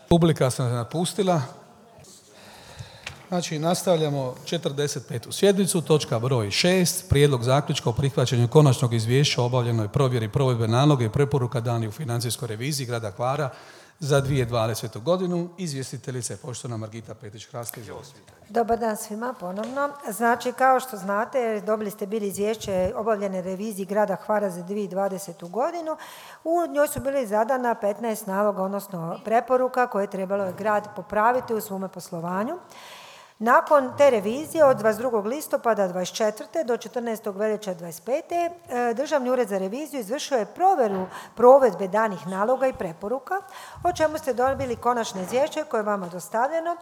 Publika se napustila. Znači, nastavljamo 45. sjednicu, točka broj 6, prijedlog zaključka o prihvaćanju konačnog izvješća o obavljenoj provjeri provedbe naloga i preporuka dani u financijskoj reviziji grada Hvara za 2020. godinu. Izvjestiteljica je poštovana Margita Petrić-Hrast. Dobar dan svima ponovno. Znači, kao što znate, dobili ste bili izvješće obavljene reviziji grada Hvara za 2020. godinu. U njoj su bili zadana 15 naloga, odnosno preporuka koje je trebalo grad popraviti u svome poslovanju. Nakon te revizije od 22. listopada 24. do 14. veljače 25. Državni ured za reviziju izvršio je provjeru provedbe danih naloga i preporuka, o čemu ste dobili konačno izvješće koje je vama dostavljeno.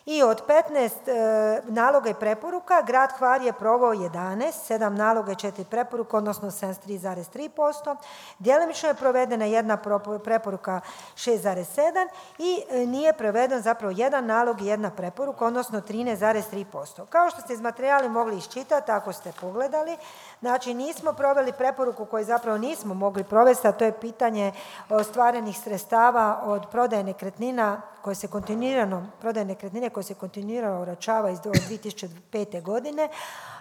I od 15 naloga i preporuka grad Hvar je proveo 11, 7 naloga i 4 preporuka, odnosno 73,3%. Djelomično je provedena jedna preporuka 6,7 i nije proveden zapravo jedan nalog i jedna preporuka, odnosno 13,3%. Kao što ste iz materijala mogli iščitati, ako ste pogledali, znači nismo proveli preporuku koju zapravo nismo mogli provesti, a to je pitanje ostvarenih sredstava od prodaje nekretnina koje se kontinuirano uračava iz 2005. godine,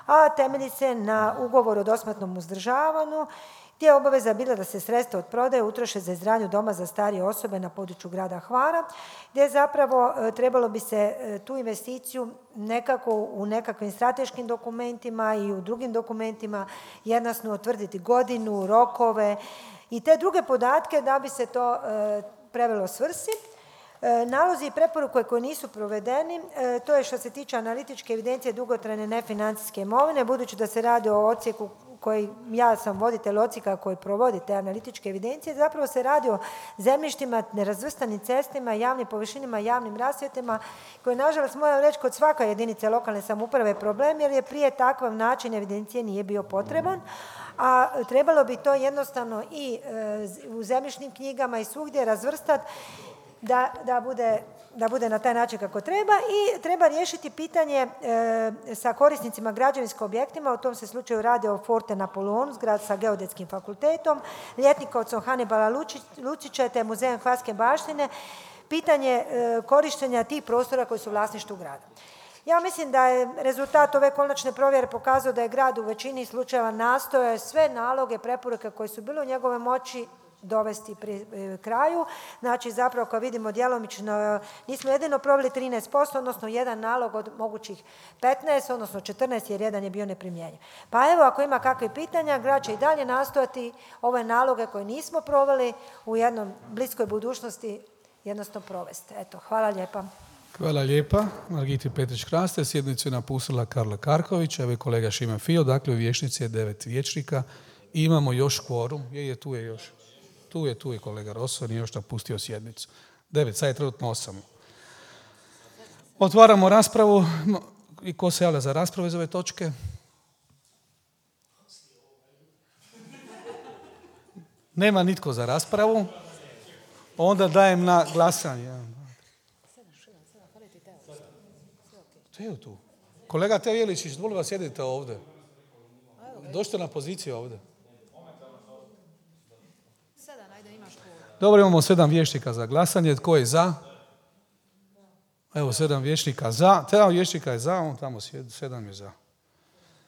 a temelji se na ugovoru o dosmrtnom uzdržavanju, gdje je obaveza bila da se sredstva od prodaje utroše za izgradnju doma za starije osobe na području grada Hvara, gdje zapravo trebalo bi se tu investiciju nekako u nekakvim strateškim dokumentima i u drugim dokumentima jednostavno utvrditi godinu, rokove i te druge podatke da bi se to prevelo svrsi. Nalozi i preporuke koje nisu provedeni, to je što se tiče analitičke evidencije dugotrajne nefinancijske imovine, budući da se radi o odsjeku koji, ja sam voditelj odsjeka koji provodi te analitičke evidencije, zapravo se radi o zemljištima, nerazvrstanim cestima, javnim površinama, javnim rasvjetima, koji nažalost moram reći kod svake jedinice lokalne samouprave problem, jer je prije takav način evidencije nije bio potreban, a trebalo bi to jednostavno i u zemljišnim knjigama i svugdje razvrstati da bude na taj način kako treba i treba riješiti pitanje sa korisnicima građevinskim objektima, u tom se slučaju radi o Forte Napoleon, zgrad sa Geodetskim fakultetom, ljetnikovcom Hanibala Lučića te muzejem Hvarske baštine, pitanje korištenja tih prostora koji su u vlasništvu grada. Ja mislim da je rezultat ove konačne provjere pokazao da je grad u većini slučajeva nastojao sve naloge, preporuke koje su bile u njegove moći dovesti pri kraju. Znači zapravo kao vidimo djelomično nismo jedino proveli 13%, odnosno jedan nalog od mogućih 15, odnosno 14 jer jedan je bio neprimjenjiv. Pa evo ako ima kakve pitanja, grad će i dalje nastojati ove naloge koje nismo proveli u jednom bliskoj budućnosti jednostavno provesti. Eto, hvala lijepa. Hvala lijepa. Margiti Petrić-Hrast, sjednicu je napustila Karla Karković, evo i kolega Šime Fio, dakle u vijećnici je 9 vijećnika i imamo još kvorum. Tu je još. Tu je kolega Rosso, nije još napustio sjednicu. 9, sad je trenutno 8. Otvaramo raspravu. I ko se javlja za raspravu iz ove točke? Nema nitko za raspravu. Onda dajem na glasanje. Teo tu. Kolega Teo Jeličić, molim vas sjedite ovdje. Dođite na poziciju ovdje. Dobro, imamo 7 vijećnika za glasanje. Tko je za? Evo, 7 vijećnika za. 7 vijećnika je za, on tamo sjedi, 7 je za.